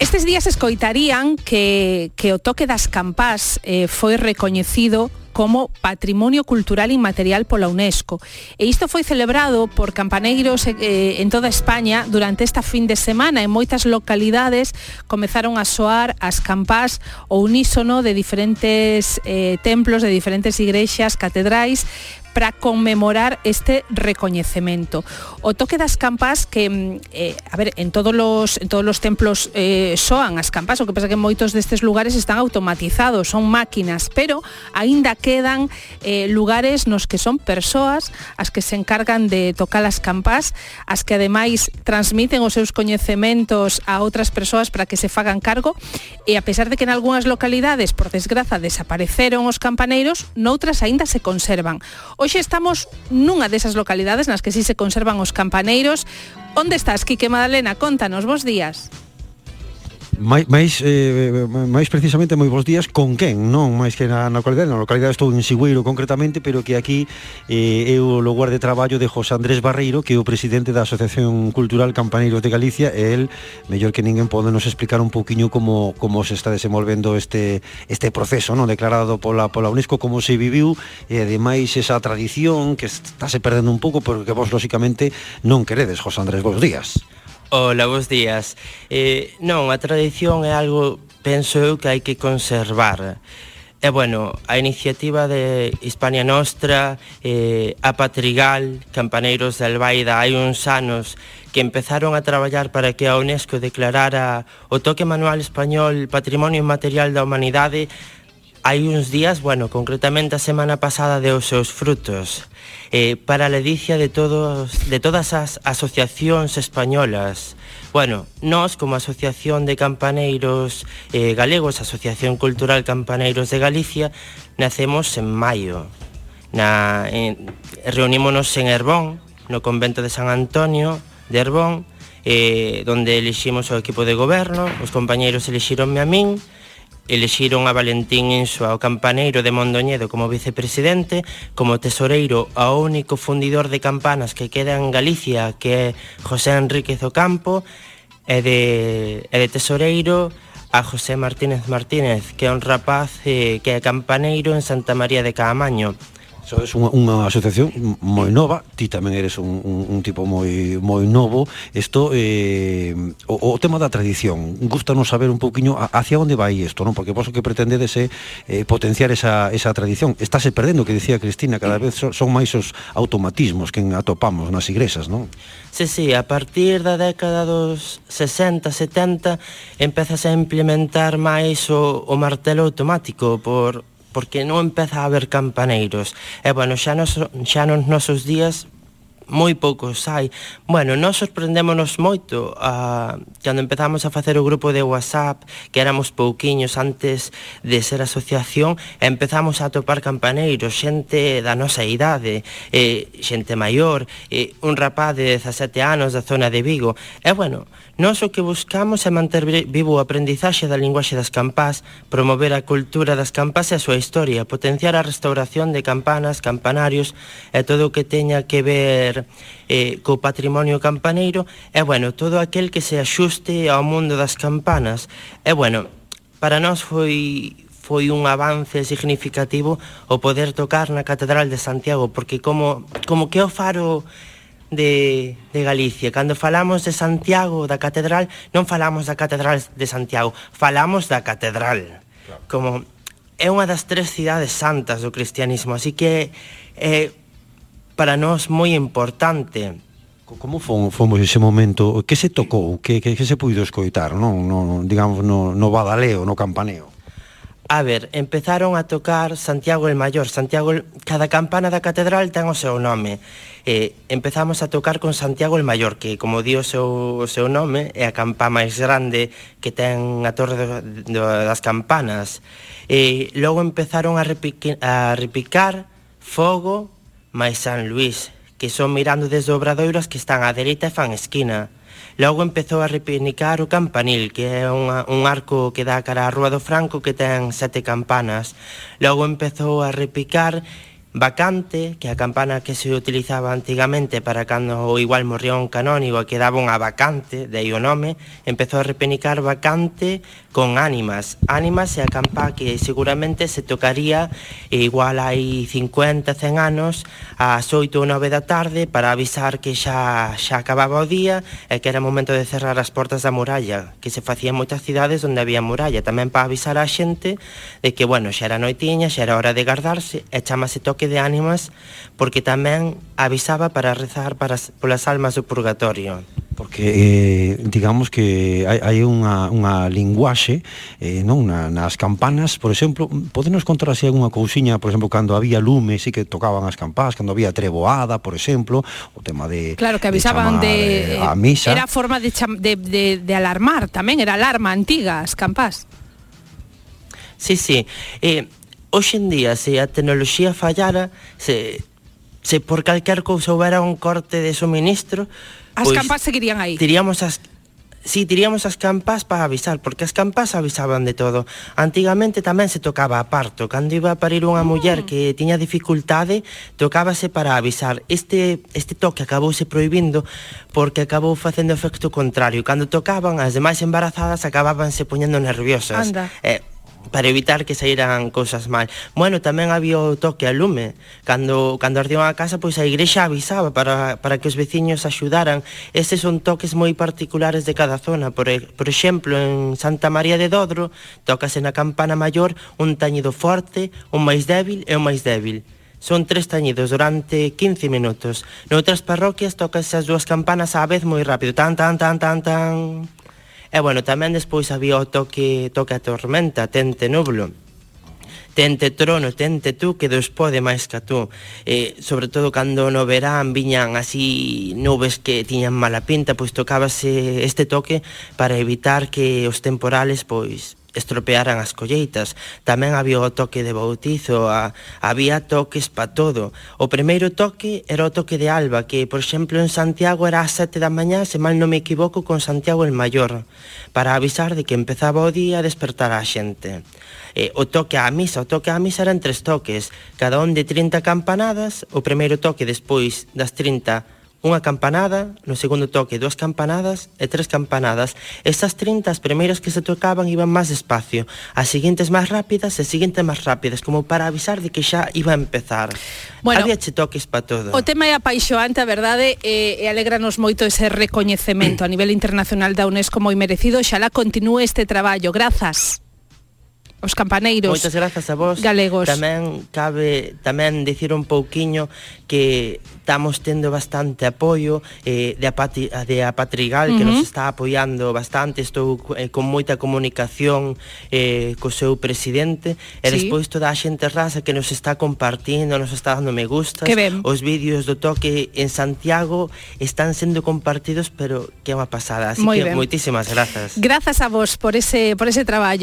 Estes días escoitarían que o toque das campás foi recoñecido como Patrimonio Cultural Inmaterial pola UNESCO. E isto foi celebrado por campaneiros en toda España durante esta fin de semana. En moitas localidades comezaron a soar as campás ao unísono de diferentes templos, de diferentes igrexas, catedrais, para conmemorar este recoñecemento. O toque das campás que, en todos os templos soan as campás, o que pasa que moitos destes lugares están automatizados, son máquinas, pero aínda quedan lugares nos que son persoas as que se encargan de tocar as campás, as que ademais transmiten os seus coñecementos a outras persoas para que se fagan cargo, e a pesar de que en algunhas localidades, por desgraza, desapareceron os campaneiros, noutras aínda se conservan. Hoxe estamos nunha desas localidades nas que sí se conservan os campaneiros. Onde estás, Quique Madalena? Contanos, bos días. Mais precisamente moi bons días con quen, non máis que na localidade estou en Sigüeiro concretamente, pero que aquí é o lugar de traballo de José Andrés Barreiro, que é o presidente da Asociación Cultural Campaneiros de Galicia, e el, mellor que ninguén, pode nos explicar un pouquiño como se está desenvolvendo este proceso, non, declarado pola UNESCO, como se viviu, e ademais esa tradición que estáse perdendo un pouco, porque vos lóxicamente non queredes. José Andrés, bons días. Hola, bons días. Non, a tradición é algo, penso eu, que hai que conservar. E, bueno, a iniciativa de Hispania Nostra, a Patrigal, Campaneiros de Albaida, hai uns anos que empezaron a traballar para que a UNESCO declarara o toque manual español Patrimonio Inmaterial da Humanidade. Hai uns días, bueno, concretamente a semana pasada, deu os seus frutos. Para a ledicia de todas as asociacións españolas. Bueno, nós, como Asociación de Campaneiros Galegos, Asociación Cultural Campaneiros de Galicia, nacemos en maio. Reunímonos en Herbón, no convento de San Antonio de Herbón, donde eliximos o equipo de goberno. Os compañeiros elixironme a min, elixiron a Valentín Insua, o campaneiro de Mondoñedo, como vicepresidente, como tesoreiro ao único fundidor de campanas que queda en Galicia, que é José Enríquez Ocampo, e de tesoreiro a José Martínez, que é un rapaz que é campaneiro en Santa María de Caamaño. Sodes unha asociación moi nova, ti tamén eres un tipo moi novo. Isto, o tema da tradición, gústanos saber un pouquiño hacia onde vai isto, non? Porque vos o que pretendedes é potenciar esa tradición. Estáse perdendo, que dicía Cristina, cada vez son máis os automatismos que atopamos nas igrexas, non? Sí, a partir da década dos 60, 70 empezase a implementar máis o martelo automático porque non empeza a haber campaneiros. E, bueno, xa nos nosos días moi poucos hai. Bueno, nós sorprendémonos moito cando empezamos a facer o grupo de WhatsApp, que éramos pouquiños antes de ser asociación, e empezamos a atopar campaneiros, xente da nosa idade, xente maior, un rapaz de 17 anos da zona de Vigo. E, bueno, nós o que buscamos é manter vivo o aprendizaxe da linguaxe das campás, promover a cultura das campás e a súa historia, potenciar a restauración de campanas, campanarios e todo o que teña que ver co patrimonio campaneiro, e, bueno, todo aquel que se axuste ao mundo das campanas. E, bueno, para nós foi un avance significativo o poder tocar na Catedral de Santiago, porque como que é o faro de Galicia. Cando falamos de Santiago, da Catedral, non falamos da Catedral de Santiago, falamos da Catedral. Como é unha das 3 cidades santas do cristianismo, así que para nós moi importante. Como fomos ese momento? Que se tocou? Que se puido escoitar, non? Digamos, no badaleo, no campaneo? A ver, empezaron a tocar Santiago el Mayor. Cada campana da catedral ten o seu nome. Empezamos a tocar con Santiago el Mayor, que, como di o seu nome, é a campa máis grande que ten a torre das campanas. Logo empezaron a repicar Fogo máis San Luís, que son mirando desde Obradoiras, que están á dereita e fan esquina. Logo empezou a repinicar o campanil, que é un arco que dá cara á Rúa do Franco, que ten 7 campanas. Logo empezou a repicar Vacante, que a campana que se utilizaba antigamente para cando igual morría un canónigo e quedaba unha vacante, de aí o nome, empezou a repenicar vacante con ánimas. Ánimas é a campá que seguramente se tocaría igual hai 50, 100 anos ás 8 ou 9 da tarde para avisar que xa acababa o día e que era momento de cerrar as portas da muralla, que se facía en moitas cidades onde había muralla, tamén para avisar á xente de que, bueno, xa era noitiña, xa era hora de guardarse, e chamase toque de ánimas porque tamén avisaba para rezar polas almas do purgatorio. Porque digamos que hai unha linguaxe non nas campanas, por exemplo, podenos contar así algunha cousiña, por exemplo, cando había lume, sí que tocaban as campás, cando había treboada, por exemplo, o tema de claro, que avisaban a misa. Era forma de alarmar tamén, era alarma antiga as campás. Sí. Hoxe en día, se a tecnoloxía fallara, se por calquer cousa houbera un corte de suministro, as campás seguirían aí. Tiríamos as campás para avisar, porque as campás avisaban de todo. Antigamente tamén se tocaba a parto, cando iba a parir unha muller que tiña dificultade, tocábase para avisar. Este toque acabouse prohibindo porque acabou facendo efecto contrario. Cando tocaban, as demais embarazadas acababanse poñendo nerviosas. Anda. Para evitar que saíran cousas mal. Bueno, tamén había o toque a lume. Cando ardía a casa, pois a igrexa avisaba para que os veciños axudaran. Estes son toques moi particulares de cada zona. Por exemplo, en Santa María de Dodro, tócase na campana maior un tañido forte, un máis débil e un máis débil. Son 3 tañidos durante 15 minutos. Noutras parroquias tócase as dúas campanas á vez moi rápido. Tan, tan, tan, tan, tan... E, bueno, tamén despois había o toque a tormenta, tente nublo, tente trono, tente tú, que Deus pode máis que tú. Sobre todo cando no verán viñan así nubes que tiñan mala pinta, pois tocábase este toque para evitar que os temporales, pois, estropearan as colleitas. Tamén había o toque de bautizo, había toques pa todo. O primeiro toque era o toque de alba, que, por exemplo, en Santiago era ás 7 da mañá, se mal non me equivoco, con Santiago el Maior, para avisar de que empezaba o día a despertar a xente. O toque á misa eran 3 toques, cada un de 30 campanadas. O primeiro toque despois das 30, unha campanada, no segundo toque 2 campanadas e 3 campanadas. Estas 30, as primeiras que se tocaban iban máis despacio, as seguintes máis rápidas e as seguintes máis rápidas, como para avisar de que xa iba a empezar. Bueno, había toques para todo. O tema é apaixoante, a verdade, e alegranos moito ese recoñecemento a nivel internacional da UNESCO moi merecido. Xalá continúe este traballo. Grazas os campaneiros. Moitas grazas a vos galegos. Tamén cabe dicir un pouquiño que estamos tendo bastante apoio de Apatrigal, que nos está apoiando bastante. Estou con moita comunicación co seu presidente, e despois toda a xente rasa que nos está compartindo, nos está dando me gustas. Os vídeos do toque en Santiago están sendo compartidos, pero que é unha pasada. Así que moitísimas grazas. Grazas a vos por ese traballo.